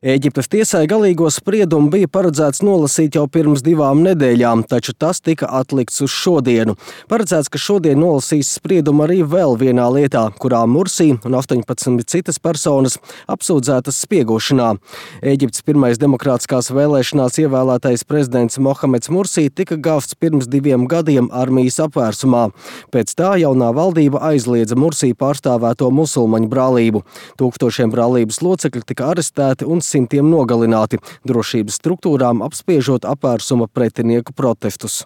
Ēģiptes tiesai galīgo spriedumu bija paredzēts nolasīt jau pirms 2 nedēļām, taču tas tika atlikts uz šodienu. Paredzēts, ka šodien nolasīs spriedumu arī vēl vienā lietā, kurā Mursī un 18 citas personas apsūdzētas spiegošanā. Ēģiptes pirmais demokrātiskās vēlēšanās ievēlētais prezidents Mohameds Mursī tika gāvts pirms 2 gadiem armijas apvērsumā. Pēc tā jaunā valdība aizliedza Mursī pārstāvēto musulmaņu brālību. Tūkstošiem brālības locekļi tika arestēti un simtiem nogalināti, drošības struktūrām apspiežot apvērsuma pretinieku protestus.